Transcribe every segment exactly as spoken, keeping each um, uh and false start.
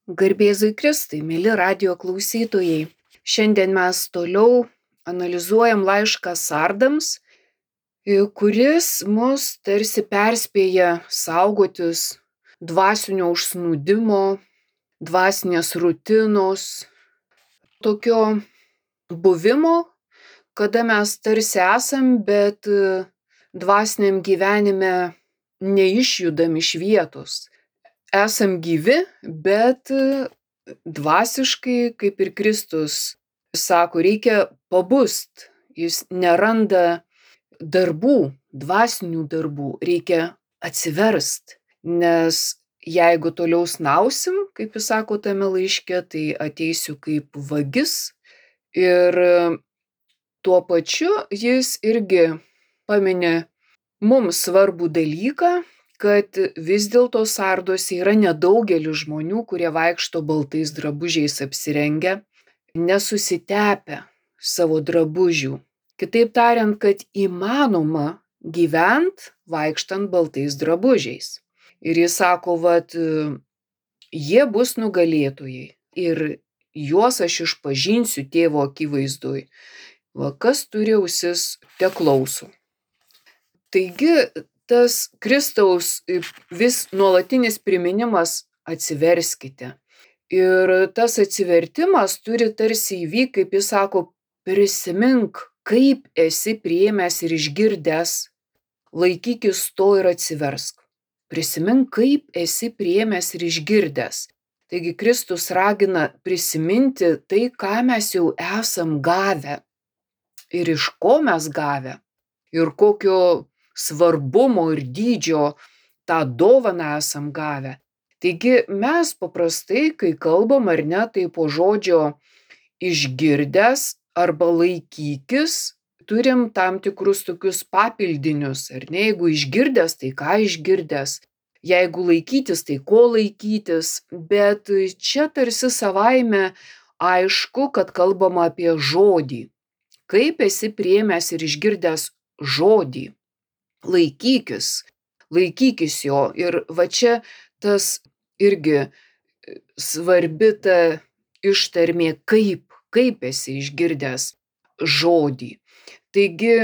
Garbėzui Kristui, mėly radijo klausytojai. Šiandien mes toliau analizuojam laišką sardams, kuris mus tarsi perspėja saugotis dvasinio užsnūdimo, dvasinės rutinos, tokio buvimo, kada mes tarsi esam, bet dvasiniam gyvenime neišjudam iš vietos. Esam gyvi, bet dvasiškai, kaip ir Kristus sako, reikia pabust. Jis neranda darbų, dvasinių darbų, reikia atsiverst. Nes jeigu toliau snausim, kaip jis sako tame laiške, tai ateisiu kaip vagis. Ir tuo pačiu jis irgi pamini mums svarbų dalyką, kad vis dėlto sarduose yra nedaugelis žmonių, kurie vaikšto baltais drabužiais apsirengę, nesusitepę savo drabužių. Kitaip tariant, kad įmanoma gyvent vaikštant baltais drabužiais. Ir jis sako, vat, jie bus nugalėtojai ir juos aš išpažinsiu tėvo akivaizdoj. Va, kas turi ausis, te klauso. Taigi, tas Kristaus vis nuolatinis priminimas atsiverskite. Ir tas atsivertimas turi tarsi įvykti, kaip jis sako, prisimink, kaip esi priėmęs ir išgirdęs, laikykis to ir atsiversk. Prisimink, kaip esi priėmęs ir išgirdęs. Taigi Kristus ragina prisiminti tai, ką mes jau esam gavę ir iš ko mes gavę ir kokio svarbumo ir dydžio tą dovaną esam gavę. Taigi mes paprastai, kai kalbam ar ne, tai po žodžio išgirdęs arba laikykis, turim tam tikrus tokius papildinius, ar ne, jeigu išgirdęs, tai ką išgirdęs, jeigu laikytis, tai ko laikytis, bet čia tarsi savaime aišku, kad kalbama apie žodį. Kaip esi priėmęs ir išgirdęs žodį. Laikykis, laikykis jo. Ir va čia tas irgi svarbi ta ištarmė, kaip, kaip esi išgirdęs žodį. Taigi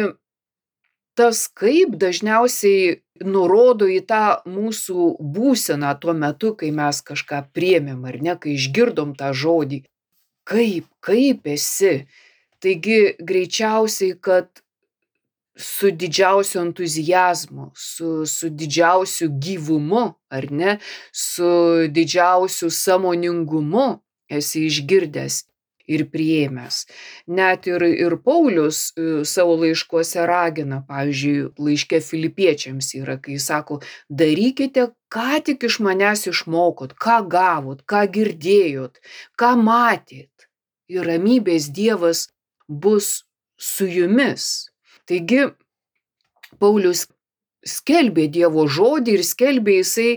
tas kaip dažniausiai nurodo į tą mūsų būseną tuo metu, kai mes kažką priėmėm, ar ne, kai išgirdom tą žodį. Kaip, kaip esi. Taigi greičiausiai, kad su didžiausiu entuziazmu, su, su didžiausiu gyvumu, ar ne, su didžiausiu sąmoningumu esi išgirdęs ir priėmęs. Net ir, ir Paulius savo laiškuose ragina, pavyzdžiui, laiške Filipiečiams yra, kai sako, darykite, ką tik iš manęs išmokot, ką gavot, ką girdėjot, ką matėt. Ir ramybės Dievas bus su jumis. Taigi, Paulius skelbė Dievo žodį ir skelbė jisai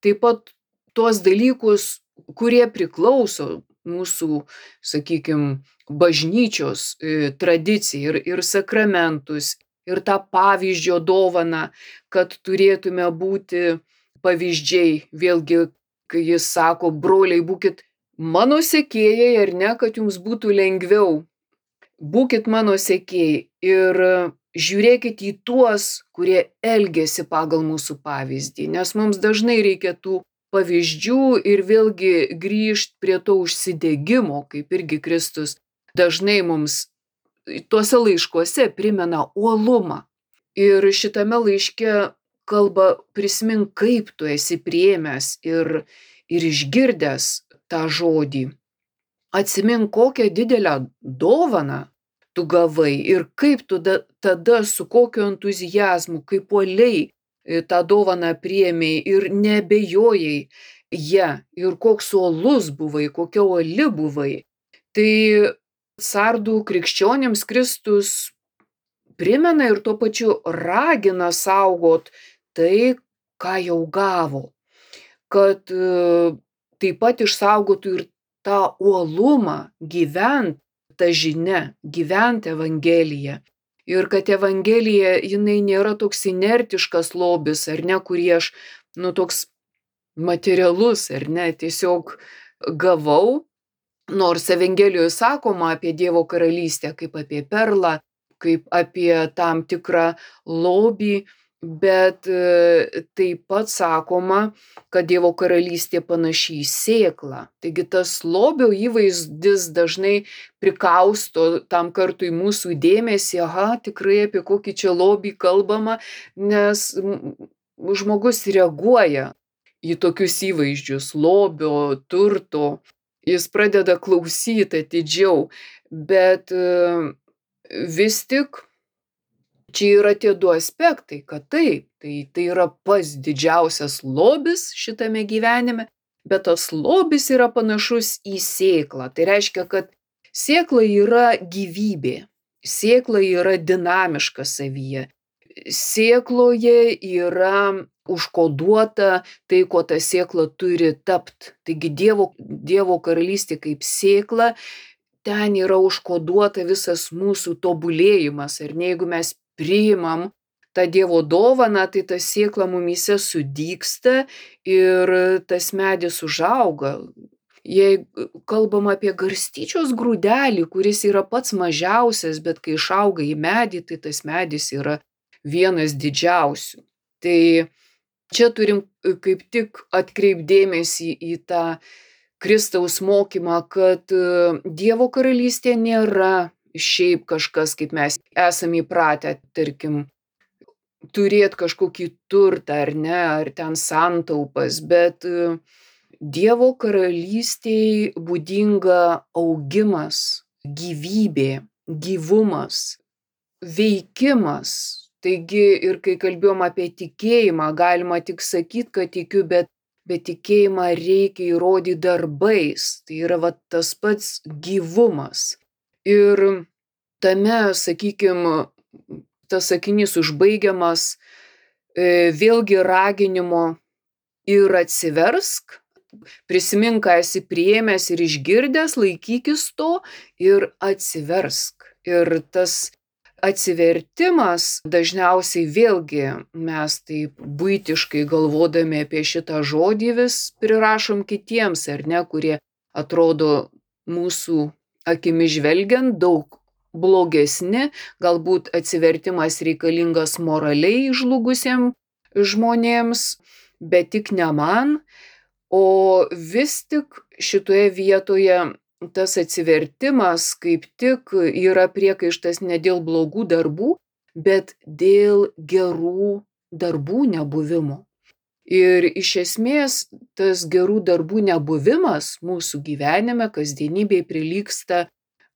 taip pat tuos dalykus, kurie priklauso mūsų, sakykime, bažnyčios e, tradicijai ir, ir sakramentus, ir tą pavyzdžio dovaną, kad turėtume būti pavyzdžiai. Vėlgi, kai jis sako, broliai, būkit mano sekėjai, ar ne, kad jums būtų lengviau. Būkit mano sekėjai ir žiūrėkit į tuos, kurie elgiasi pagal mūsų pavyzdį, nes mums dažnai reikia tų pavyzdžių ir vėlgi grįžt prie to užsidegimo, kaip irgi Kristus dažnai mums tuose laiškuose primena uolumą. Ir šitame laiške kalba prisimink, kaip tu esi priėmęs ir, ir išgirdęs tą žodį. Atsimink, kokią didelę dovaną tu gavai ir kaip tu da, tada su kokiu entuziazmu, kaip uoliai tą dovaną priėmei ir neabejojai ją ir koks uolus buvai, kokia uoli buvai. Tai sardų krikščionims Kristus primena ir tuo pačiu ragina saugot tai, ką jau gavo. Kad taip pat išsaugotų ir tą uolumą gyvent tą žinią, gyvent Evangeliją. Ir kad Evangelija, jinai nėra toks inertiškas lobis, ar ne, kurį aš, nu, toks materialus, ar ne, tiesiog gavau, nors Evangelijoje sakoma apie Dievo karalystę kaip apie perlą, kaip apie tam tikrą lobį, bet taip pat sakoma, kad Dievo karalystė panaši į sėklą. Taigi tas lobio įvaizdis dažnai prikausto tam kartui mūsų dėmesį, aha, tikrai apie kokį čia lobį kalbama, nes žmogus reaguoja į tokius įvaizdžius lobio, turto, jis pradeda klausyti atidžiau, bet vis tik čia yra tie du aspektai, kad taip, tai, tai yra pats didžiausias lobis šitame gyvenime, bet tas lobis yra panašus į sėklą. Tai reiškia, kad sėkla yra gyvybė, sėkla yra dinamiška savyje, sėkloje yra užkoduota tai, ko ta sėkla turi tapt. Taigi Dievo, Dievo karalystė kaip sėkla, ten yra užkoduota visas mūsų tobulėjimas. Ir ne, jeigu mes priimam tą Dievo dovaną, tai ta sėkla mumyse sudygsta ir tas medis užauga. Jei kalbam apie garstyčios grūdelį, kuris yra pats mažiausias, bet kai išauga į medį, tai tas medis yra vienas didžiausių. Tai čia turim kaip tik atkreipdėmėsi į tą Kristaus mokymą, kad Dievo karalystė nėra šiaip kažkas, kaip mes esame įpratę, tarkim, turėti kažkokį turtą ar ne, ar ten santaupas, bet Dievo karalystėj būdinga augimas, gyvybė, gyvumas, veikimas. Taigi ir kai kalbėjom apie tikėjimą, galima tik sakyti, kad tikiu, bet, bet tikėjimą reikia įrodyti darbais. Tai yra va, tas pats gyvumas. Ir tame, sakykime, tas sakinys užbaigiamas vėlgi raginimo ir atsiversk, prisimink, ką esi priėmęs ir išgirdęs, laikykis to ir atsiversk. Ir tas atsivertimas dažniausiai vėlgi mes taip buitiškai galvodami apie šitą žodį vis prirašom kitiems, ar ne, kurie atrodo mūsų akimi žvelgiant daug blogesni, galbūt atsivertimas reikalingas moraliai žlugusiems žmonėms, bet tik ne man, o vis tik šitoje vietoje tas atsivertimas kaip tik yra priekaištas ne dėl blogų darbų, bet dėl gerų darbų nebuvimo. Ir iš esmės tas gerų darbų nebuvimas mūsų gyvenime, kasdienybėje prilygsta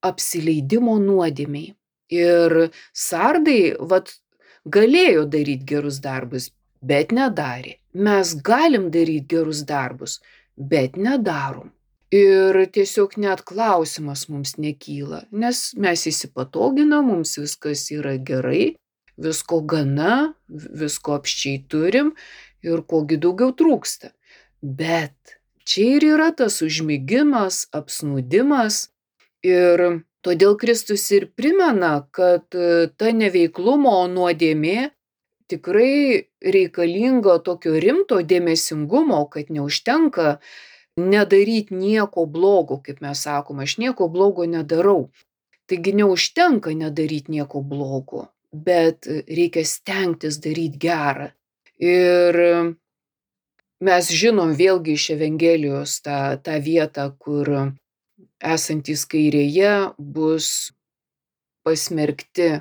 apsileidimo nuodėmei. Ir sardai vat, galėjo daryti gerus darbus, bet nedarė. Mes galim daryti gerus darbus, bet nedarom. Ir tiesiog net klausimas mums nekyla, nes mes įsipatoginam, mums viskas yra gerai, visko gana, visko apsčiai turim ir kogi daugiau trūksta. Bet čia ir yra tas užmigimas, apsnūdimas ir todėl Kristus ir primena, kad ta neveiklumo nuodėmė tikrai reikalinga tokio rimto dėmesingumo, kad neužtenka nedaryti nieko blogo, kaip mes sakom, aš nieko blogo nedarau. Taigi neužtenka nedaryti nieko blogo, bet reikia stengtis daryti gerą. Ir mes žinom vėlgi iš Evangelijos tą, tą vietą, kur esantys kairėje bus pasmerkti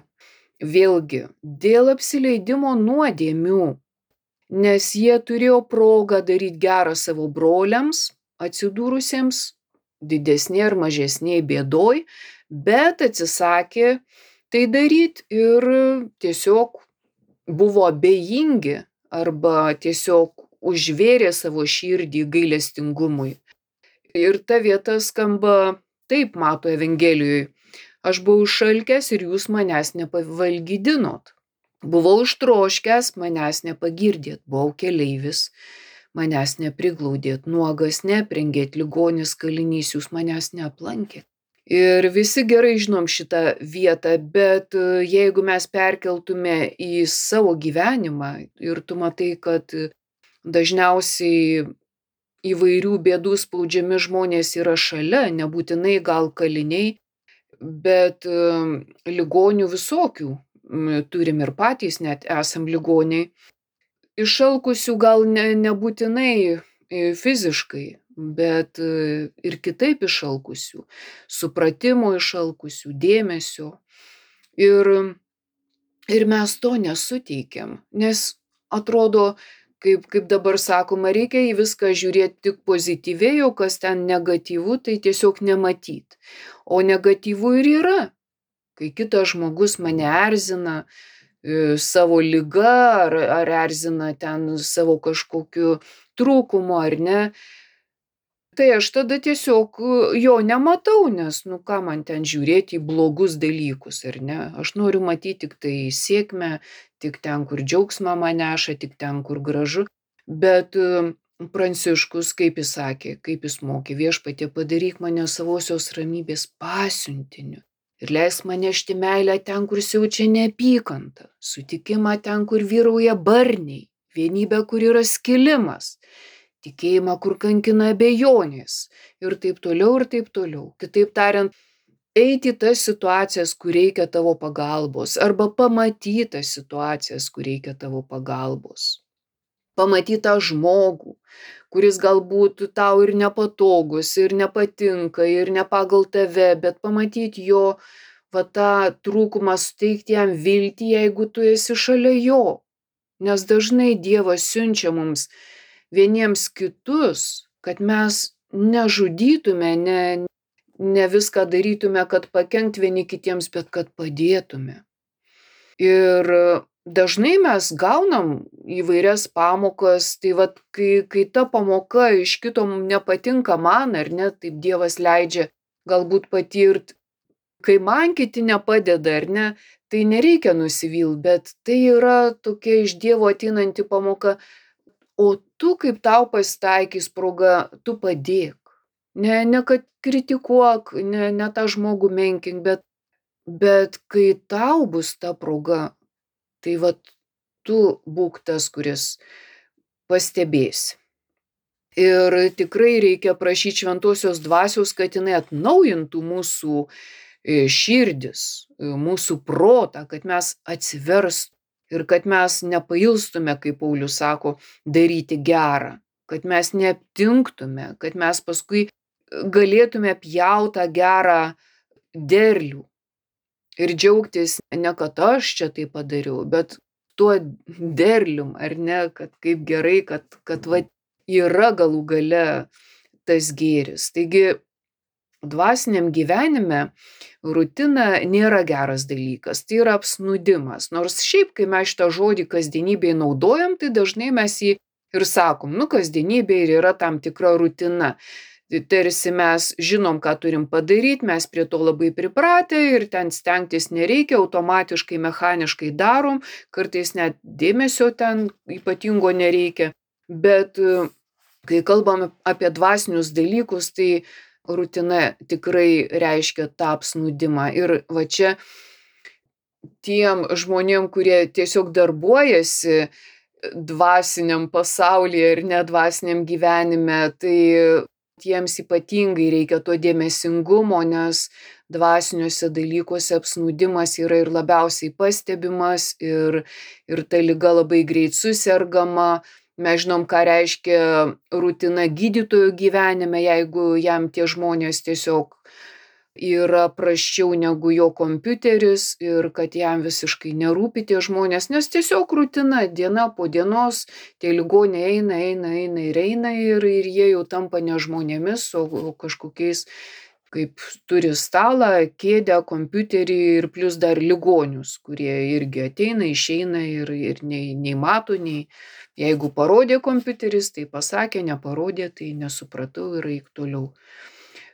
vėlgi dėl apsileidimo nuodėmių, nes jie turėjo progą daryti gerą savo broliams, atsidūrusiems didesnė ar mažesnė bėdoj, bet atsisakė tai daryti ir tiesiog buvo abejingi arba tiesiog užvėrė savo širdį gailestingumui. Ir ta vieta skamba taip, mato Evangelijoje. Aš buvau išalkęs ir jūs manęs nepavalgydinot. Buvau ištroškęs, manęs nepagirdėt. Buvau keleivis, manęs nepriglaudėt. Nuogas neprengėt, ligonis, kalinys, jūs manęs neaplankėt. Ir visi gerai žinom šitą vietą, bet jeigu mes perkeltume į savo gyvenimą ir tu matai, kad dažniausiai įvairių bėdų spaudžiami žmonės yra šalia, nebūtinai gal kaliniai, bet um, ligonių visokių. Mm, Turim ir patys, net esam ligoniai. Išalkusių gal ne, nebūtinai e, fiziškai, bet e, ir kitaip išalkusių. Supratimo išalkusių, dėmesio. Ir Ir mes to nesuteikiam, nes atrodo, kaip, kaip dabar sakoma, reikia į viską žiūrėti tik pozityviai, o kas ten negatyvu, tai tiesiog nematyt. O negatyvu ir yra, kai kitas žmogus mane erzina e, savo liga ar, ar erzina ten savo kažkokiu trūkumu ar ne. Tai aš tada tiesiog e, jo nematau, nes nu ką man ten žiūrėti į blogus dalykus, ar ne? Aš noriu matyti tik tai sėkmę, tik ten, kur džiaugsmą man neša, tik ten, kur gražu. Bet e, Pranciškus, kaip jis sakė, kaip jis mokė, Viešpatie padaryk mane savosios ramybės pasiuntiniu. Ir leisk man nešti meilę ten, kur siaučia neapykanta, sutikimą ten, kur vyrauja barniai, vienybę, kur yra skilimas, tikėjimą, kur kankina abejonės ir taip toliau ir taip toliau. Kitaip tariant, eiti į tas situacijas, kur reikia tavo pagalbos, arba pamatyti tas situacijas, kur reikia tavo pagalbos. Pamatyti tą žmogų, kuris galbūt tau ir nepatogus, ir nepatinka, ir ne pagal tave, bet pamatyti jo va tą trūkumą, suteikti jam viltį, jeigu tu esi šalia jo. Nes dažnai Dievas siunčia mums vieniems kitus, kad mes nežudytume, ne, ne viską darytume, kad pakenkt vieni kitiems, bet kad padėtume. Ir dažnai mes gaunam įvairias pamokas, tai vat, kai, kai ta pamoka iš kito nepatinka man, ar ne, taip Dievas leidžia galbūt patirt, kai man kiti nepadeda, ar ne, tai nereikia nusivylt, bet tai yra tokia iš Dievo ateinanti pamoka. O tu, kaip tau pasitaikys proga, tu padėk. Ne, ne kad kritikuok, ne, ne tą žmogų menkink, bet, bet kai tau bus ta proga, tai vat tu būk tas, kuris pastebėsi. Ir tikrai reikia prašyti šventosios dvasios, kad jinai atnaujintų mūsų širdis, mūsų protą, kad mes atsiverstų. Ir kad mes nepailstume, kaip Paulius sako, daryti gerą, kad mes neaptinktume, kad mes paskui galėtume pjautą gerą derlių ir džiaugtis ne kad aš čia tai padariau, bet tuo derlium, ar ne, kad kaip gerai, kad, kad va, yra galų gale tas gėris. Taigi, dvasiniam gyvenime rutina nėra geras dalykas, tai yra apsnūdimas. Nors šiaip, kai mes šitą žodį kasdienybėje naudojam, tai dažnai mes jį ir sakom, nu kasdienybė ir yra tam tikra rutina. Tarsi mes žinom, ką turim padaryti, mes prie to labai pripratę ir ten stengtis nereikia, automatiškai, mechaniškai darom, kartais net dėmesio ten ypatingo nereikia. Bet kai kalbam apie dvasinius dalykus, tai rutina tikrai reiškia tą apsnūdimą. Ir va čia tiem žmonėm, kurie tiesiog darbuojasi dvasiniam pasaulyje ir nedvasiniam gyvenime, tai tiems ypatingai reikia to dėmesingumo, nes dvasiniuose dalykuose apsnūdimas yra ir labiausiai pastebimas ir, ir ta liga labai greit susergama. Mes žinom, ką reiškia rutina gydytojo gyvenime, jeigu jam tie žmonės tiesiog yra prasčiau negu jo kompiuteris ir kad jam visiškai nerūpi tie žmonės, nes tiesiog rutina, diena po dienos, tie ligoniai eina, eina, eina ir eina ir, ir jie jau tampa ne žmonėmis, o kažkokiais, kaip turi stalą, kėdę, kompiuterį ir plus dar ligonius, kurie irgi ateina, išeina ir, ir nei, nei mato, nei jeigu parodė kompiuteris, tai pasakė, neparodė, tai nesupratau ir eik toliau.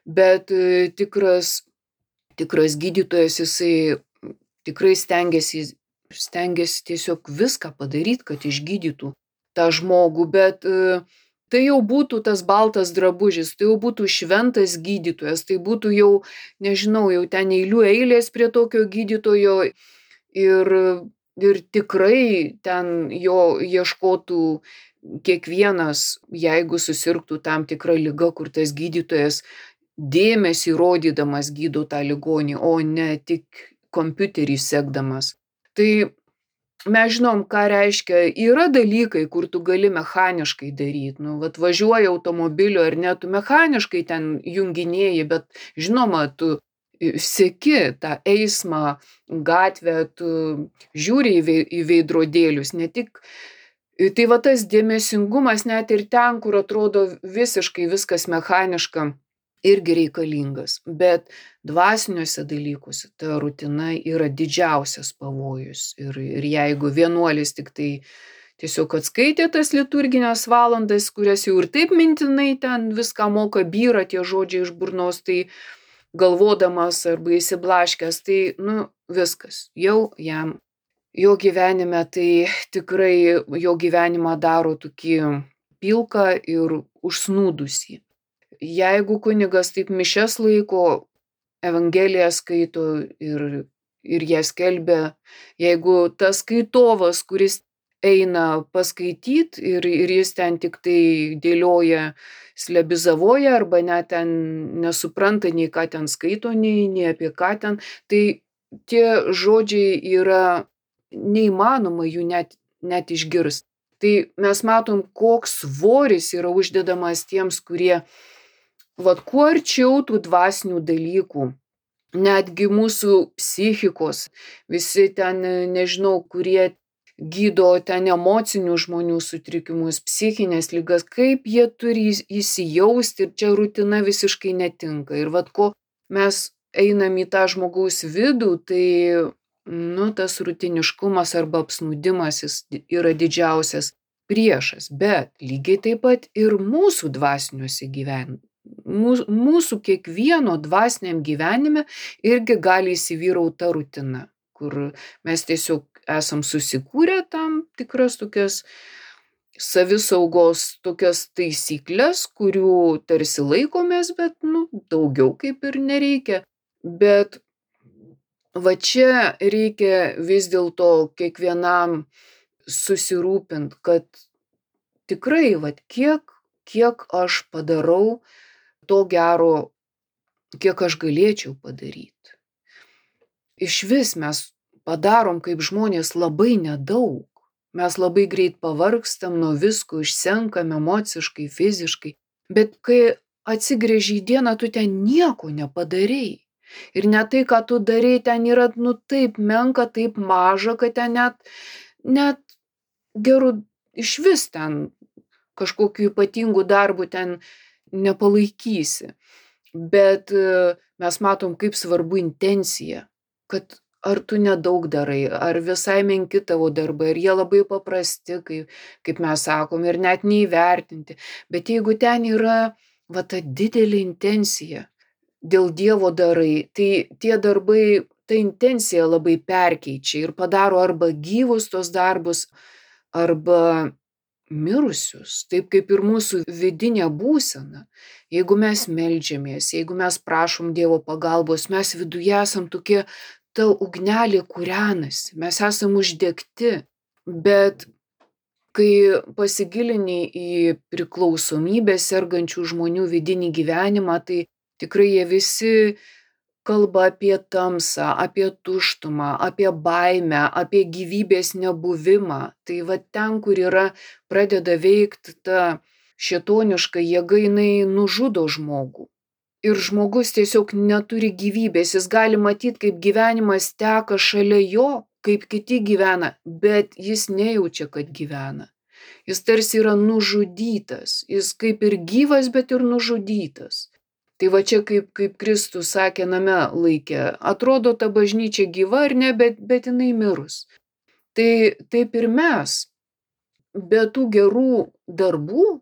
Bet tikras, tikras gydytojas, jisai tikrai stengiasi, stengiasi tiesiog viską padaryti, kad išgydytų tą žmogų, bet tai jau būtų tas baltas drabužis, tai jau būtų šventas gydytojas, tai būtų jau, nežinau, jau ten eilių eilės prie tokio gydytojo ir, ir tikrai ten jo ieškotų kiekvienas, jeigu susirgtų tam tikrą ligą, kur tas gydytojas dėmesį rodydamas gydo tą ligonį, o ne tik kompiuterį sekdamas. Tai mes žinom, ką reiškia, yra dalykai, kur tu gali mechaniškai daryti. Nu, vat važiuoji automobiliu ar ne, tu mechaniškai ten junginėji, bet žinoma, tu seki tą eismą, gatvę, tu žiūri į vei- į veidrodėlius, ne tik. Tai va tas dėmesingumas net ir ten, kur atrodo visiškai viskas mechaniška, irgi reikalingas. Bet dvasiniuose dalykuose ta rutina yra didžiausias pavojus. Ir, ir jeigu vienuolis tik tai tiesiog atskaitė tas liturginės valandas, kurias jau ir taip mintinai ten viską moka, byra tie žodžiai iš burnos, tai galvodamas arba įsiblaškęs, tai, nu, viskas, jau jam, jo gyvenime tai tikrai jo gyvenimą daro tokį pilką ir užsnūdusį. Jeigu kunigas taip mišias laiko, Evangeliją skaito ir, ir ją skelbia, jeigu tas skaitovas, kuris eina paskaityt ir, ir jis ten tik tai dėlioja, slebizavoja arba net ten nesupranta nei ką ten skaito, nei, nei apie ką ten, tai tie žodžiai yra neįmanoma jų net, net išgirst. Tai mes matom, koks svoris yra uždedamas tiems, kurie vat kuo arčiau tų dvasinių dalykų, netgi mūsų psichikos, visi ten, nežinau, kurie gydo ten emocinių žmonių sutrikimus, psichinės ligas, kaip jie turi įs- įsijausti, ir čia rutina visiškai netinka. Ir vat ko mes einam į tą žmogaus vidų, tai, nu, tas rutiniškumas arba apsnūdimas jis yra didžiausias priešas, bet lygiai taip pat ir mūsų dvasiniuose gyvenime. Mūsų, mūsų kiekvieno dvasiniam gyvenime irgi gali įsivyrauti ta rutina, kur mes tiesiog esam susikūrę tam tikras tokias savisaugos tokias taisyklės, kurių tarsi laikomės, bet, nu, daugiau kaip ir nereikia. Bet va čia reikia vis dėlto kiekvienam susirūpint, kad tikrai, vat kiek, kiek aš padarau to gero, kiek aš galėčiau padaryti. Išvis mes padarom kaip žmonės labai nedaug. Mes labai greit pavargstam nuo visko, išsenkam emociškai, fiziškai. Bet kai atsigręži į dieną, tu ten nieko nepadarei. Ir net tai, ką tu darei, ten yra, nu, taip menka, taip maža, kad ten net, net gerų išvis ten kažkokiu ypatingu darbu ten nepalaikysi. Bet e, mes matom, kaip svarbu intencija, kad ar tu nedaug darai, ar visai menki tavo darbai, ar jie labai paprasti, kaip, kaip mes sakom, ir net neįvertinti. Bet jeigu ten yra va ta didelė intencija, dėl Dievo darai, tai tie darbai, ta intencija labai perkeičia ir padaro arba gyvus tos darbus, arba mirusius, taip kaip ir mūsų vidinė būsena. Jeigu mes meldžiamės, jeigu mes prašom Dievo pagalbos, mes viduje esam tokie, ta ugnelė kūrenasi, mes esam uždegti. Bet kai pasigilini į priklausomybę sergančių žmonių vidinį gyvenimą, tai tikrai jie visi kalba apie tamsą, apie tuštumą, apie baimę, apie gyvybės nebuvimą. Tai va ten, kur yra, pradeda veikti ta šėtoniška jėga, jinai nužudo žmogų. Ir žmogus tiesiog neturi gyvybės, jis gali matyti, kaip gyvenimas teka šalia jo, kaip kiti gyvena, bet jis nejaučia, kad gyvena. Jis tarsi yra nužudytas, jis kaip ir gyvas, bet ir nužudytas. Tai va čia kaip, kaip Kristus sakė name laikė, atrodo ta bažnyčia gyva ar ne, bet, bet jinai mirus. Tai taip ir mes, be tų gerų darbų,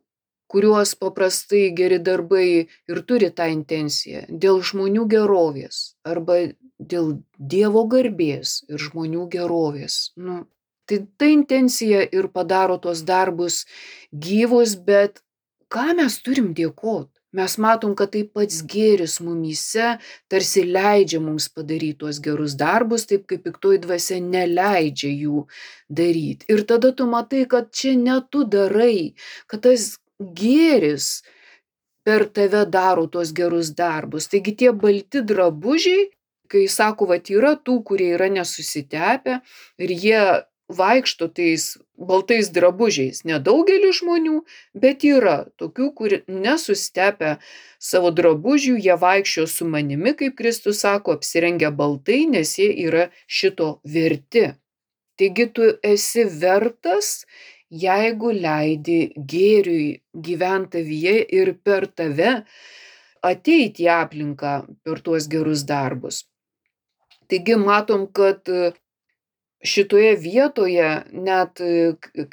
kuriuos paprastai geri darbai ir turi tą intenciją, dėl žmonių gerovės arba dėl Dievo garbės ir žmonių gerovės. Nu, tai ta intencija ir padaro tuos darbus gyvus, bet ką mes turim dėkot? Mes matom, kad tai pats gėris mumyse tarsi leidžia mums padaryti tuos gerus darbus, taip kaip piktoji dvasia neleidžia jų daryti. Ir tada tu matai, kad čia ne tu darai, kad tas gėris per tave daro tuos gerus darbus. Taigi tie balti drabužiai, kai sako, vat yra tų, kurie yra nesusitepę ir jie vaikšto tais baltais drabužiais. Nedaugelis žmonių, bet yra tokių, kurie nesusitepę savo drabužių, jie vaikščio su manimi, kaip Kristus sako, apsirengę baltai, nes jie yra šito verti. Taigi tu esi vertas, jeigu leidi gėriui gyventi tavyje ir per tave ateiti į aplinką per tuos gerus darbus. Taigi matom, kad šitoje vietoje, net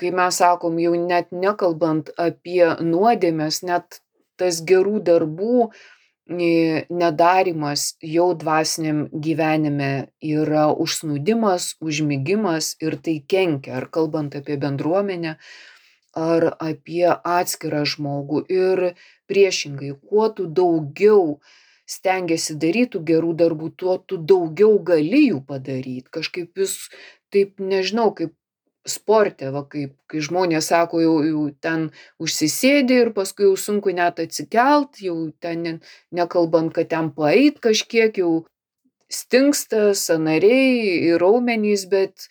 kai mes sakom, jau net nekalbant apie nuodėmes, net tas gerų darbų nedarimas jau dvasiniam gyvenime yra užsnūdimas, užmigimas ir tai kenkia, ar kalbant apie bendruomenę, ar apie atskirą žmogų. Ir priešingai, kuo tu daugiau stengiasi daryti gerų darbų, tuo tu daugiau gali jų padaryti. Kažkaip vis taip, nežinau, kaip sporte, va, kaip, kai žmonės sako, jau, jau ten užsisėdi ir paskui jau sunku net atsikelt, jau ten ne, nekalbant, kad ten paeit kažkiek, jau stingsta sąnariai ir raumenys, bet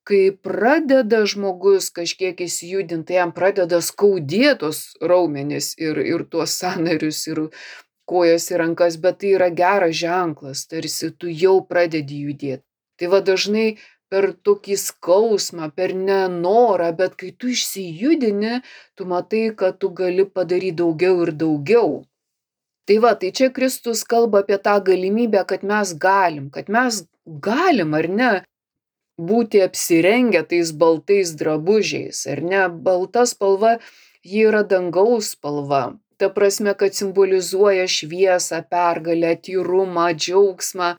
kai pradeda žmogus kažkiek įsijudinti, jam pradeda skaudėtos raumenys ir, ir tuos sąnarius ir kojas ir rankas, bet tai yra geras ženklas, tarsi tu jau pradedi judėti. Tai va dažnai per tokį skausmą, per nenorą, bet kai tu išsijudini, tu matai, kad tu gali padaryti daugiau ir daugiau. Tai va, tai čia Kristus kalba apie tą galimybę, kad mes galim, kad mes galim, ar ne, būti apsirengę tais baltais drabužiais, ar ne, balta spalva, ji yra dangaus spalva. Ta prasme, kad simbolizuoja šviesą, pergalę, tyrumą, džiaugsmą.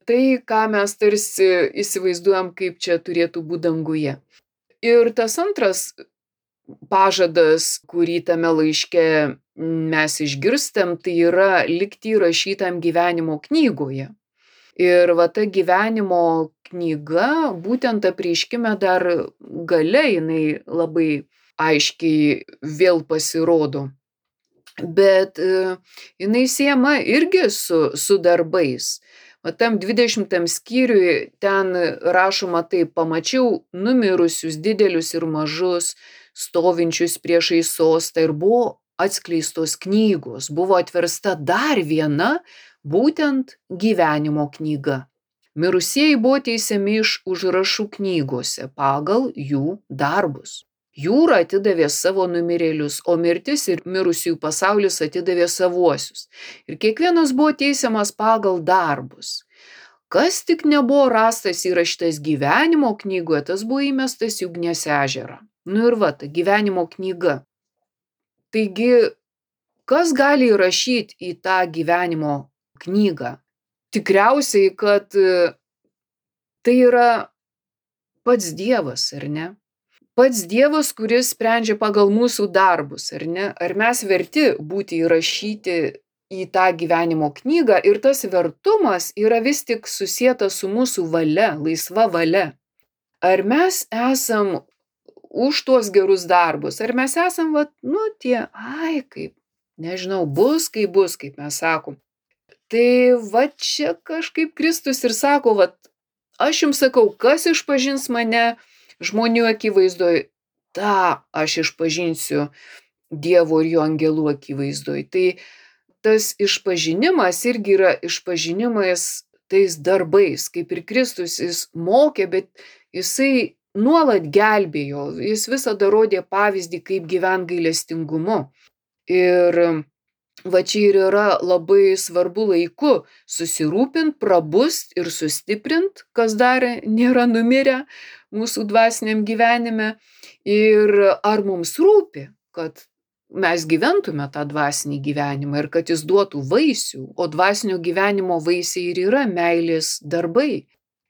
Tai, ką mes tarsi įsivaizduojam, kaip čia turėtų būti danguje. Ir tas antras pažadas, kurį tame laiške mes išgirstam, tai yra likti įrašytam gyvenimo knygoje. Ir va ta gyvenimo knyga, būtent apreiškime dar gale, jinai labai aiškiai vėl pasirodo. Bet jinai siejama irgi su, su darbais. O tam dvidešimtam skyriui ten rašoma taip, pamačiau numirusius didelius ir mažus, stovinčius priešais sostą ir buvo atskleistos knygos, buvo atversta dar viena, būtent gyvenimo knyga. Mirusieji buvo teisiami iš užrašų knygose pagal jų darbus. Jūra atidavė savo numirėlius, o mirtis ir mirusiųjų pasaulis atidavė savuosius. Ir kiekvienas buvo teisiamas pagal darbus. Kas tik nebuvo rastas įrašytas gyvenimo knygoje, tas buvo įmestas į ugnies ežerą. Nu ir va, ta gyvenimo knyga. Taigi, kas gali įrašyti į tą gyvenimo knygą? Tikriausiai, kad tai yra pats Dievas, ar ne? Pats Dievas, kuris sprendžia pagal mūsų darbus, ar ne? Ar mes verti būti įrašyti į tą gyvenimo knygą ir tas vertumas yra vis tik susietas su mūsų valia, laisva valia. Ar mes esam už tuos gerus darbus, ar mes esam, va, nu, tie, ai, kaip, nežinau, bus, kaip bus, kaip mes sakom. Tai va čia kažkaip Kristus ir sako, va, aš jums sakau, kas išpažins mane žmonių akivaizdoj, tą aš išpažinsiu Dievo ir jo angelų akivaizdoj. Tai tas išpažinimas irgi yra išpažinimas tais darbais, kaip ir Kristus jis mokė, bet jisai nuolat gelbėjo, jis visada rodė pavyzdį, kaip gyvent gailestingumu. Ir va čia ir yra labai svarbu laiku susirūpint, prabust ir sustiprint, kas dar nėra numirę mūsų dvasiniam gyvenime. Ir ar mums rūpi, kad mes gyventume tą dvasinį gyvenimą ir kad jis duotų vaisių, o dvasinio gyvenimo vaisiai ir yra meilės darbai.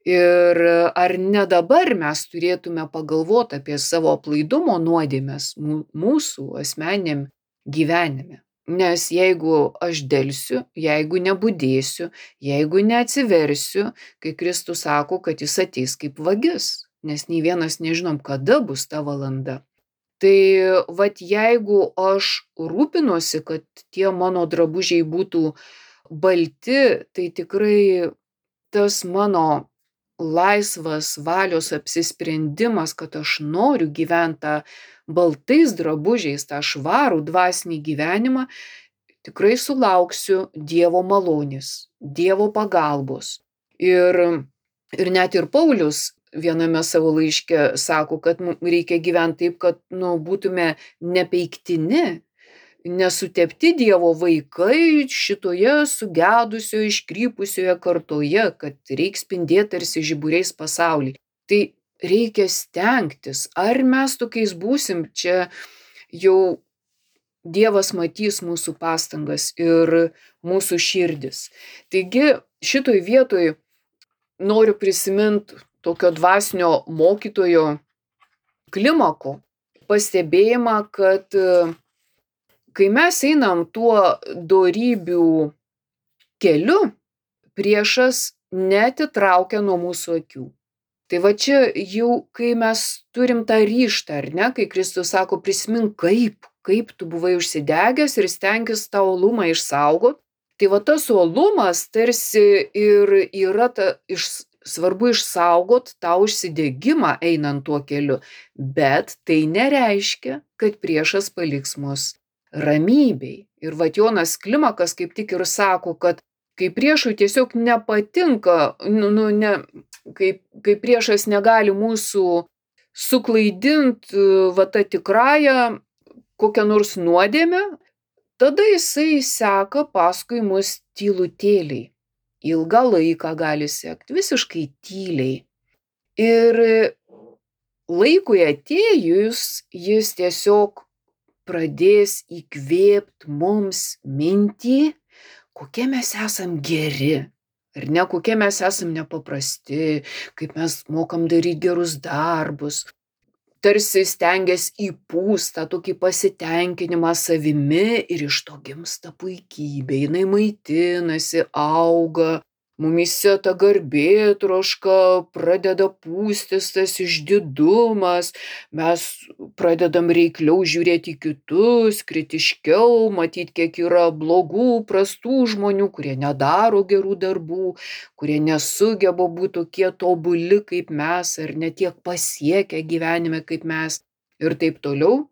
Ir ar ne dabar mes turėtume pagalvoti apie savo aplaidumo nuodėmes mūsų asmeniniam gyvenime. Nes jeigu aš delsiu, jeigu nebudėsiu, jeigu neatsiversiu, kai Kristus sako, kad jis ateis kaip vagis, nes nei vienas nežinom, kada bus ta valanda. Tai vat jeigu aš rūpinuosi, kad tie mano drabužiai būtų balti, tai tikrai tas mano laisvas valios apsisprendimas, kad aš noriu gyventi tą baltais drabužiais, tą švarų dvasinį gyvenimą, tikrai sulauksiu Dievo malonės, Dievo pagalbos. Ir, ir net ir Paulius viename savo laiške sako, kad mums reikia gyventi taip, kad nu, būtume nepeiktini, nesutepti Dievo vaikai šitoje sugedusioje, iškrypusioje kartoje, kad reikia spindėti tarsi žiburiais pasaulį. Tai reikia stengtis. Ar mes tokiais būsim, čia jau Dievas matys mūsų pastangas ir mūsų širdis. Taigi šitoj vietoj noriu prisiminti tokio dvasinio mokytojo Klimako pastebėjimą, kad kai mes einam tuo dorybių keliu, priešas neatitraukia nuo mūsų akių. Tai va čia jau, kai mes turim tą ryžtą, ar ne, kai Kristus sako, prisimink kaip, kaip tu buvai užsidegęs ir stenkis tą uolumą išsaugot. Tai va tas uolumas tarsi ir yra ta, iš, svarbu išsaugot tą užsidegimą einant tuo keliu, bet tai nereiškia, kad priešas paliks mus ramybei. Ir vat Jonas Klimakas kaip tik ir sako, kad kai priešui tiesiog nepatinka, nu, nu, ne, kai, kai priešas negali mūsų suklaidinti va tą tikrąją kokią nors nuodėmę, tada jisai seka paskui mus tylutėliai. Ilgą laiką gali sekti, visiškai tyliai. Ir laikui atėjus jis tiesiog pradės įkvėpti mums mintį, kokie mes esam geri, ar ne, kokie mes esam nepaprasti, kaip mes mokam daryti gerus darbus. Tarsi stengiasi įpūst tą tokį pasitenkinimą savimi ir iš to gimsta puikybė, jinai maitinasi, auga. Mumyse ta garbėtroška pradeda pūstis tas išdidumas, mes pradedam reikliau žiūrėti į kitus, kritiškiau, matyti, kiek yra blogų, prastų žmonių, kurie nedaro gerų darbų, kurie nesugeba būti tokie tobuli kaip mes, ar ne tiek pasiekę gyvenime kaip mes ir taip toliau.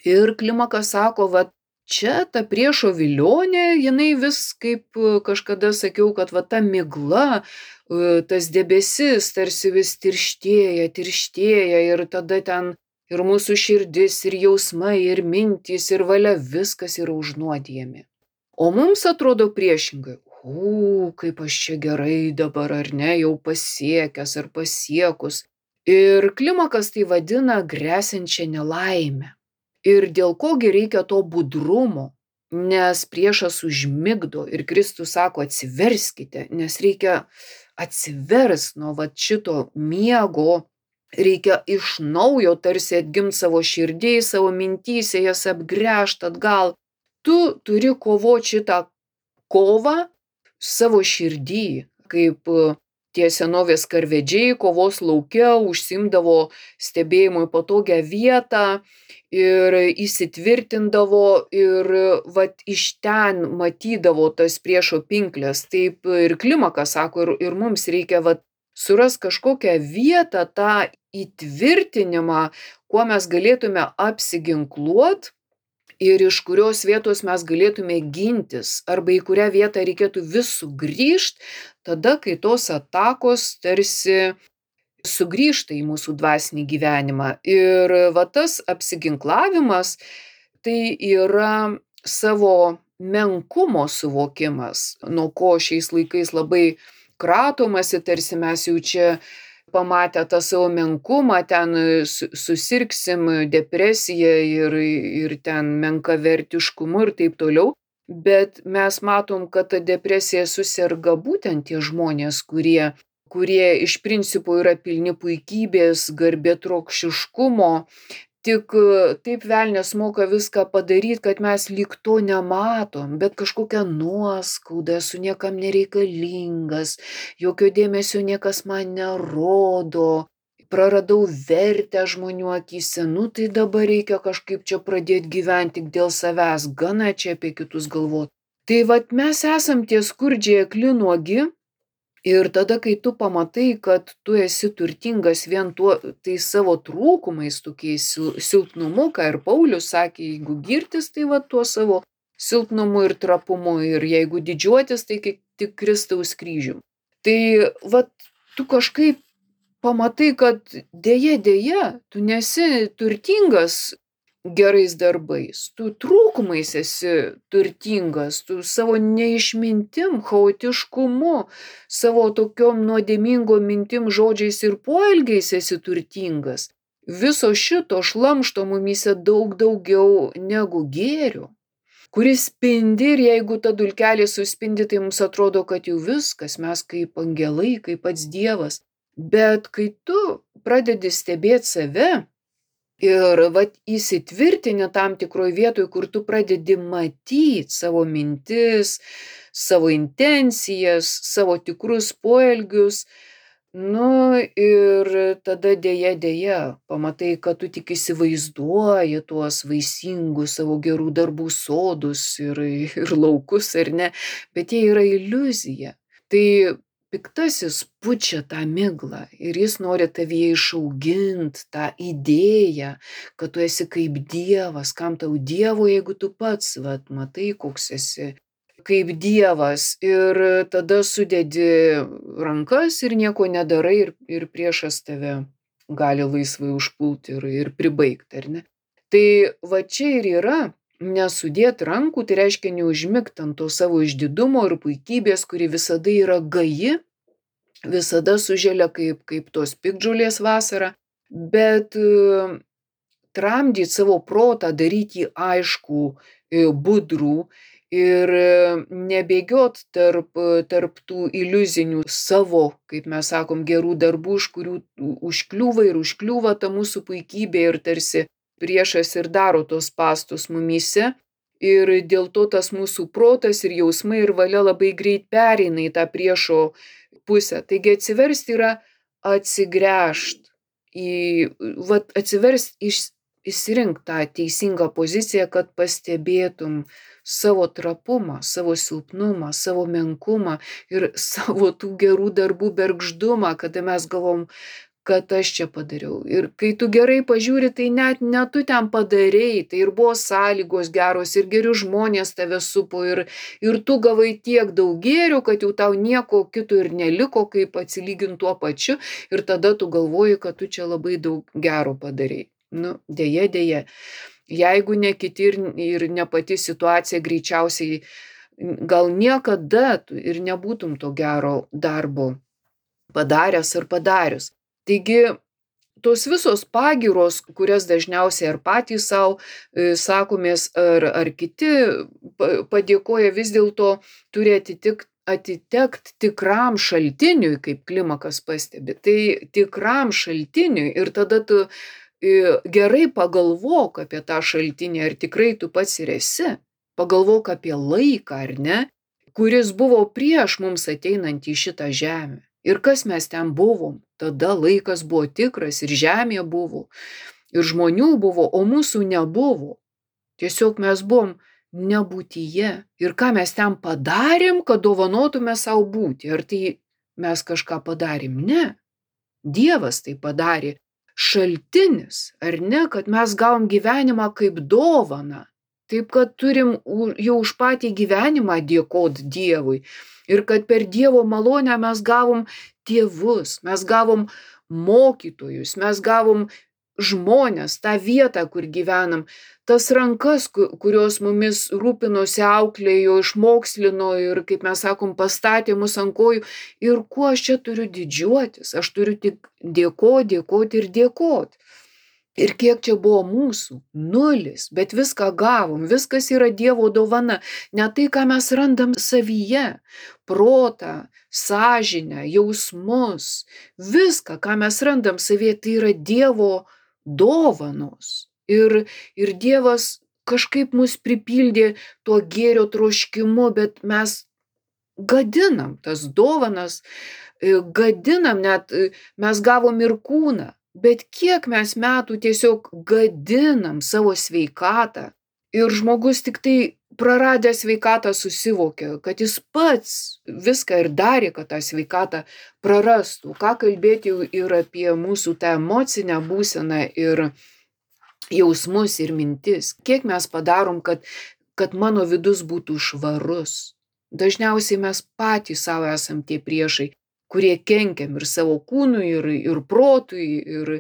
Ir Klimakas sako, va, čia ta priešo vilionė, jinai vis, kaip kažkada sakiau, kad va ta migla, tas debesis tarsi vis tirštėja, tirštėja ir tada ten ir mūsų širdis, ir jausmai, ir mintys, ir valia, viskas yra užnuodijami. O mums atrodo priešingai, o, kaip aš čia gerai dabar, ar ne, jau pasiekęs ar pasiekus. Ir Klimakas tai vadina gresiančią nelaimę. Ir dėl kogi reikia to budrumo, nes priešas užmigdo ir Kristus sako atsiverskite, nes reikia atsivers nuo va šito miego, reikia iš naujo tarsi atgimti savo širdžiai, savo mintyse, jas apgręžti atgal. Tu turi kovoti šitą kovą savo širdį, kaip tie senovės karvedžiai kovos lauke užsiimdavo stebėjimui patogią vietą ir įsitvirtindavo ir vat iš ten matydavo tas priešo pinklės. Taip ir Klimakas sako, ir, ir mums reikia vat suras kažkokią vietą, tą įtvirtinimą, kuo mes galėtume apsiginkluot ir iš kurios vietos mes galėtume gintis, arba į kurią vietą reikėtų vis sugrįžti, tada, kai tos atakos tarsi sugrįžta į mūsų dvasinį gyvenimą. Ir va tas apsiginklavimas, tai yra savo menkumo suvokimas, nuo ko šiais laikais labai kratomasi, tarsi mes jau čia pamatę tą savo menkumą, ten susirgsim depresiją ir, ir ten menkavertiškumu ir taip toliau. Bet mes matom, kad ta depresija suserga būtent tie žmonės, kurie, kurie iš principo yra pilni puikybės, garbėtrokšiškumo Tik e, taip velnias moka viską padaryt, kad mes lyg to nematom, bet kažkokia nuoskauda, esu niekam nereikalingas, jokio dėmesio niekas man nerodo, praradau vertę žmonių akyse, nu tai dabar reikia kažkaip čia pradėti gyventi tik dėl savęs, gana čia apie kitus galvot. Tai vat mes esam tie skurdžiai akli nuogi. Ir tada, kai tu pamatai, kad tu esi turtingas vien tuo, tai savo trūkumais, tokiais sil- silpnumu, ką ir Paulius sakė, jeigu girtis, tai va tuo savo silpnumu ir trapumu, ir jeigu didžiuotis, tai kaip tik Kristaus kryžium. Tai va tu kažkaip pamatai, kad dėja, dėja, tu nesi turtingas gerais darbais, tu trūkumais esi turtingas, tu savo neišmintim, chaotiškumu, savo tokiom nuodėmingom mintim, žodžiais ir poelgiais esi turtingas. Viso šito šlamšto mumyse daug daugiau negu gėrio, kuris spindi, ir jeigu ta dulkelė suspindi, tai mums atrodo, kad jau viskas, mes kaip angelai, kaip pats Dievas. Bet kai tu pradedi stebėti save, ir vat įsitvirtini tam tikroj vietoj, kur tu pradedi matyt savo mintis, savo intencijas, savo tikrus poelgius, nu ir tada dėja, dėja, pamatai, kad tu tik įsivaizduoji tuos vaisingus savo gerų darbų sodus ir, ir laukus, ar ne, bet jie yra iliuzija. Tai piktasis pučia tą miglą ir jis nori tavyje išaugint tą idėją, kad tu esi kaip Dievas, kam tau Dievo, jeigu tu pats, vat, matai, koks esi kaip Dievas, ir tada sudedi rankas ir nieko nedarai, ir, ir priešas tave gali laisvai užpulti ir, ir pribaigti, ar ne? Tai va čia ir yra nesudėt rankų, tai reiškia neužmigt ant to savo išdidumo ir puikybės, kuri visada yra gaji, visada suželia kaip, kaip tos piktžolės vasarą, bet e, tramdyt savo protą, daryti jį aišku, e, budrų ir e, nebėgiot tarp, e, tarp tų iliuzinių savo, kaip mes sakom, gerų darbų, iš kurių užkliūva ir užkliūva ta mūsų puikybė, ir tarsi priešas ir daro tos spąstus mumyse. Ir dėl to tas mūsų protas ir jausmai ir valia labai greit pereina į tą priešo pusę. Taigi atsiversti yra atsigręžt į, vat atsiverst, iš, išsirink tą teisingą poziciją, kad pastebėtum savo trapumą, savo silpnumą, savo menkumą ir savo tų gerų darbų bergždumą, kada mes galvom, kad aš čia padariau. Ir kai tu gerai pažiūri, tai net ne tu ten padarei, tai ir buvo sąlygos geros, ir geri žmonės tave supo, ir, ir tu gavai tiek daug gėrių, kad jau tau nieko kito ir neliko, kaip atsilygint tuo pačiu, ir tada tu galvoji, kad tu čia labai daug gero padarei. Nu, dėja, dėja. Jeigu ne kiti ir, ir ne pati situacija, greičiausiai gal niekada tu ir nebūtum to gero darbo padaręs ar padarius. Taigi, tos visos pagyros, kurias dažniausiai ar patys savo e, sakomės, ar, ar kiti pa- padėkoja, vis dėlto turi atitik, atitekt tikram šaltiniui, kaip Klimakas pastebi. Tai tikram šaltiniui, ir tada tu e, gerai pagalvok apie tą šaltinį, ar tikrai tu pats ir esi. Pagalvok apie laiką, ar ne, kuris buvo prieš mums ateinant į šitą žemę. Ir kas mes ten buvom? Tada laikas buvo tikras, ir žemė buvo, ir žmonių buvo, o mūsų nebuvo. Tiesiog mes buvom nebūtyje. Ir ką mes ten padarėm, kad dovanotume savo būti? Ar tai mes kažką padarėm? Ne. Dievas tai padarė. Šaltinis, ar ne, kad mes gavom gyvenimą kaip dovaną. Taip, kad turim u- jau už patį gyvenimą dėkot Dievui. Ir kad per Dievo malonę mes gavom tėvus, mes gavom mokytojus, mes gavom žmonės, tą vietą, kur gyvenam, tas rankas, ku- kurios mumis rūpinosi, auklėjo, išmokslino ir, kaip mes sakom, pastatė mus ant kojų. Ir kuo aš čia turiu didžiuotis? Aš turiu tik dėkot, dėkot ir dėkot. Ir kiek čia buvo mūsų? Nulis. Bet viską gavom. Viskas yra Dievo dovana. Ne tai, ką mes randam savyje. Protą, sąžinę, jausmus. Viską, ką mes randam savyje, tai yra Dievo dovanos. Ir, ir Dievas kažkaip mus pripildė tuo gėrio troškimu, bet mes gadinam tas dovanas, gadinam net, mes gavom ir kūną, bet kiek mes metų tiesiog gadinam savo sveikatą. Ir žmogus tik tai praradęs sveikatą susivokia, kad jis pats viską ir darė, kad tą sveikatą prarastų. Ką kalbėti ir apie mūsų tą emocinę būseną ir jausmus ir mintis. Kiek mes padarom, kad, kad mano vidus būtų švarus. Dažniausiai mes patys savo esam tie priešai, kurie kenkiam ir savo kūnui, ir, ir protui, ir,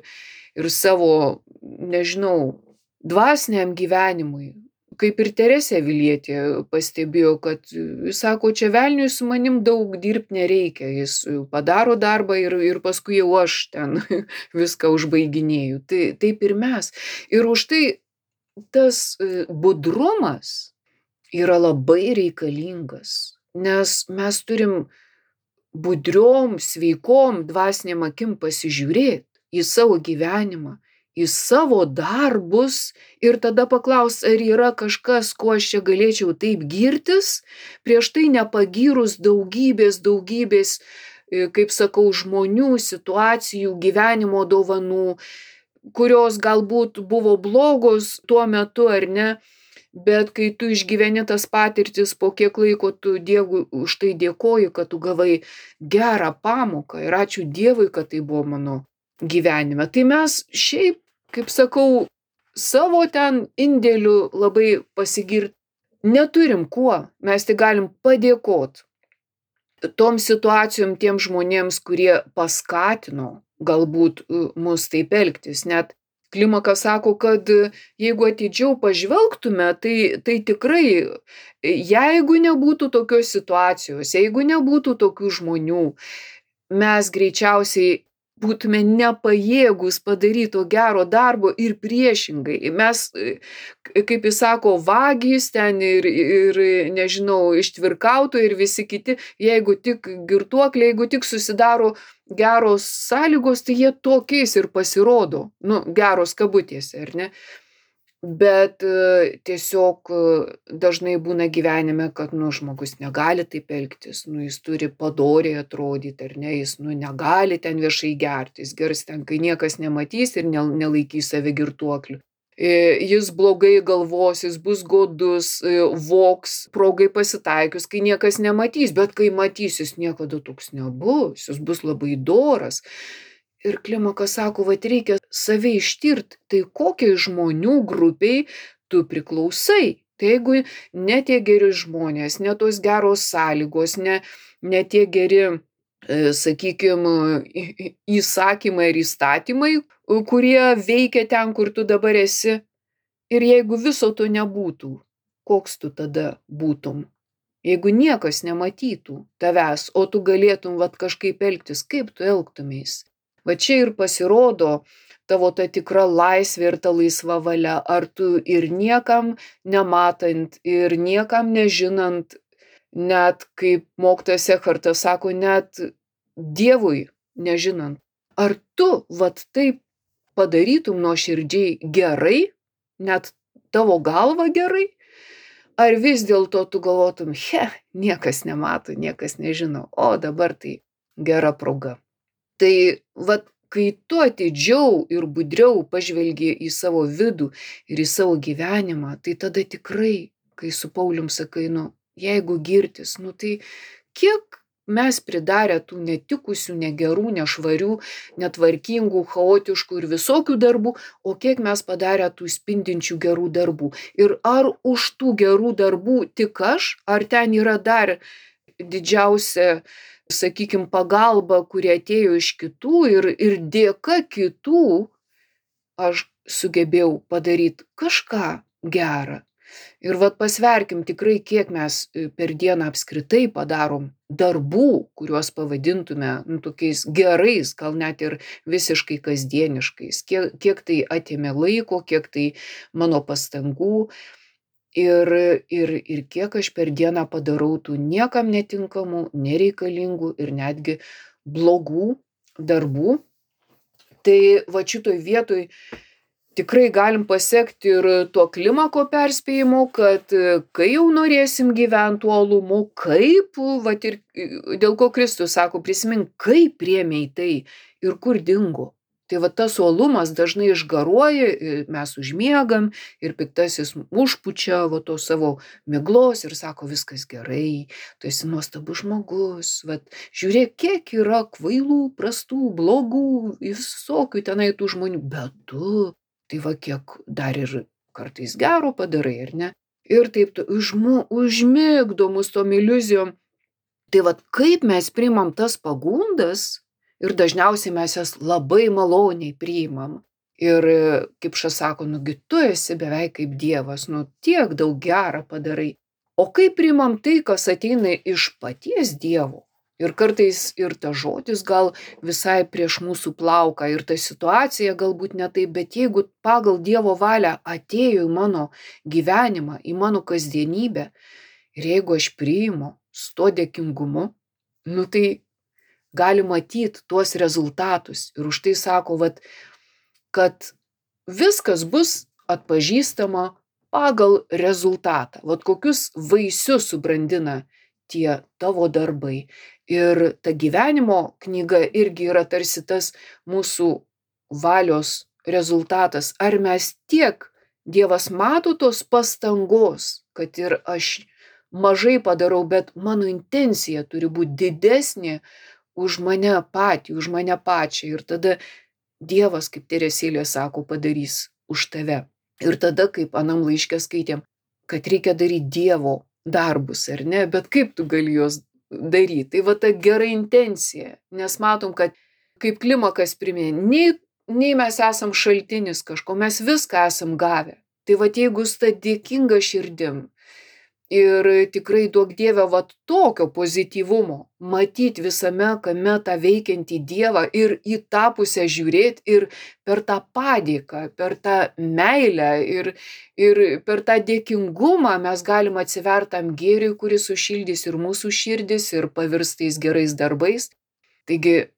ir savo, nežinau, dvasiniam gyvenimui. Kaip ir Teresė Avilietė pastebėjo, kad, jis sako, čia velniui su manim daug dirbti nereikia, jis padaro darbą ir, ir paskui jau aš ten viską užbaiginėju. Tai, taip ir mes. Ir už tai tas budrumas yra labai reikalingas, nes mes turim budriom, sveikom, dvasiniam akim pasižiūrėti į savo gyvenimą, į savo darbus ir tada paklaus, ar yra kažkas, ko aš čia galėčiau taip girtis, prieš tai nepagyrus daugybės, daugybės, kaip sakau, žmonių, situacijų, gyvenimo dovanų, kurios galbūt buvo blogos tuo metu ar ne, bet kai tu išgyveni tas patirtis, po kiek laiko tu Dievui už tai dėkoji, kad tu gavai gerą pamoką ir ačiū Dievui, kad tai buvo mano gyvenime. Tai mes šiaip, kaip sakau, savo ten indėliu labai pasigirti neturim kuo, mes tik galim padėkot tom situacijom, tiem žmonėms, kurie paskatino galbūt mus taip elgtis. Net Klimakas sako, kad jeigu atidžiau pažvelgtume, tai, tai tikrai, jeigu nebūtų tokios situacijos, jeigu nebūtų tokių žmonių, mes greičiausiai būtume nepajėgus padaryti to gero darbo ir priešingai. Mes, kaip jis sako, vagys ten ir, ir nežinau, ištvirkautojai ir visi kiti, jeigu tik girtuokliai, jeigu tik susidaro geros sąlygos, tai jie tokiais ir pasirodo, nu, geros kabutėse, ar ne? Bet tiesiog dažnai būna gyvenime, kad, nu, žmogus negali taip elgtis, nu, jis turi padoriai atrodyti, ar ne, jis, nu, negali ten viešai gerti, jis gers ten, kai niekas nematys ir nelaikys save girtuokliu. Jis blogai galvos, jis bus godus, voks, progai pasitaikius, kai niekas nematys, bet kai matys, jis niekada toks nebus, jis bus labai doras. Ir Klimakas sako, vat reikia save ištirti, tai kokiai žmonių grupiai tu priklausai. Tai jeigu ne tie geri žmonės, ne tos geros sąlygos, ne, ne tie geri, sakykime, įsakymai ir įstatymai, kurie veikia ten, kur tu dabar esi. Ir jeigu viso to nebūtų, koks tu tada būtum? Jeigu niekas nematytų tavęs, o tu galėtum vat kažkaip elgtis, kaip tu elgtumeis? Va čia ir pasirodo tavo ta tikra laisvė ir ta laisva valia, ar tu ir niekam nematant, ir niekam nežinant, net kaip mokytojas Ekhartas sako, net Dievui nežinant, ar tu vat taip padarytum nuoširdžiai gerai, net tavo galva gerai, ar vis dėlto tu galvotum, he, niekas nemato, niekas nežino, o dabar tai gera proga. Tai vat, kai tu atidžiau ir budriau pažvelgi į savo vidų ir į savo gyvenimą, tai tada tikrai, kai su Paulium sakai, nu, jeigu girtis, nu tai kiek mes pridarę tų netikusių, negerų, nešvarių, netvarkingų, chaotiškų ir visokių darbų, o kiek mes padarę tų spindinčių gerų darbų. Ir ar už tų gerų darbų tik aš, ar ten yra dar didžiausia, sakykime, pagalba, kurie atėjo iš kitų ir, ir dėka kitų aš sugebėjau padaryti kažką gerą. Ir vat pasverkim tikrai, kiek mes per dieną apskritai padarom darbų, kuriuos pavadintume, nu, tokiais gerais, gal net ir visiškai kasdieniškais. Kiek, kiek tai atėmė laiko, kiek tai mano pastangų. Ir, ir, ir kiek aš per dieną padarau tų niekam netinkamų, nereikalingų ir netgi blogų darbų. Tai va šitoj vietoj tikrai galim pasekti ir tuo klimako perspėjimu, kad kai jau norėsim gyventi uolumu, kaip, vat ir dėl ko Kristus sako, prisimink, kaip priėmei tai ir kur dingo. Tai va tas uolumas dažnai išgaruoja, mes užmiegam ir piktasis užpučia va to savo miglos ir sako, viskas gerai, tu esi nuostabus žmogus, vat žiūrėk, kiek yra kvailų, prastų, blogų, visokių tenai tų žmonių, bet tu, tai va kiek dar ir kartais gero padarai, ar ne? Ir taip tu užmu, užmigdo mus tom iliuzijom. Tai vat kaip mes priimam tas pagundas, ir dažniausiai mes jas labai maloniai priimam. Ir kaip šas sako, nugi tu esi beveik kaip Dievas, nu tiek daug gerą padarai. O kaip priimam tai, kas ateina iš paties Dievo? Ir kartais ir ta žodis gal visai prieš mūsų plauką, ir ta situacija galbūt ne taip, bet jeigu pagal Dievo valią atėjo į mano gyvenimą, į mano kasdienybę, ir jeigu aš priimu su to dėkingumu, nu tai gali matyti tuos rezultatus. Ir už tai sako, vat, kad viskas bus atpažįstama pagal rezultatą. Vat kokius vaisius subrandina tie tavo darbai. Ir ta gyvenimo knyga irgi yra tarsi tas mūsų valios rezultatas. Ar mes tiek, Dievas mato tos pastangos, kad ir aš mažai padarau, bet mano intencija turi būti didesnė už mane patį, už mane pačią. Ir tada Dievas, kaip Teresėlė sako, padarys už tave. Ir tada, kaip anam laiške skaitėm, kad reikia daryti Dievo darbus, ar ne? Bet kaip tu gali juos daryti? Tai va ta gera intencija. Nes matom, kad kaip klimakas priminė, nei, nei mes esam šaltinis kažko, mes viską esam gavę. Tai va jeigu su ta dėkinga širdim, ir tikrai duok Dieve vat tokio pozityvumo, matyti visame kame tą veikiantį Dievą ir į tą pusę žiūrėti ir per tą padėką, per tą meilę ir, ir per tą dėkingumą mes galim atsivertam gėriui, kuris sušildys ir mūsų širdis ir pavirs tais gerais darbais. Taigi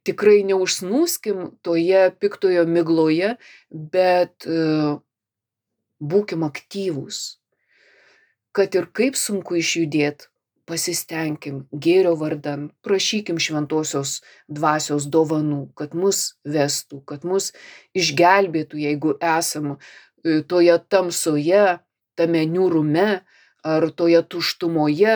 tikrai neužsnūskim toje piktojo migloje, bet uh, būkim aktyvūs. Kad ir kaip sunku išjudėt, pasistengkim gėrio vardan, prašykim šventosios dvasios dovanų, kad mus vestų, kad mus išgelbėtų, jeigu esam toje tamsoje, tame niūrume ar toje tuštumoje.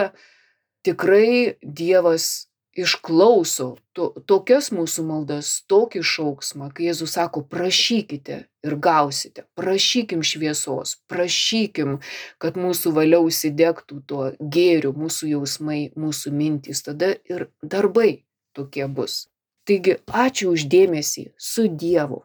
Tikrai Dievas išklauso to, tokias mūsų maldas, tokį šauksmą, kai Jėzus sako, prašykite ir gausite, prašykim šviesos, prašykim, kad mūsų valia užsidegtų tuo gėriu, mūsų jausmai, mūsų mintys, tada ir darbai tokie bus. Taigi, ačiū už dėmesį, su Dievu.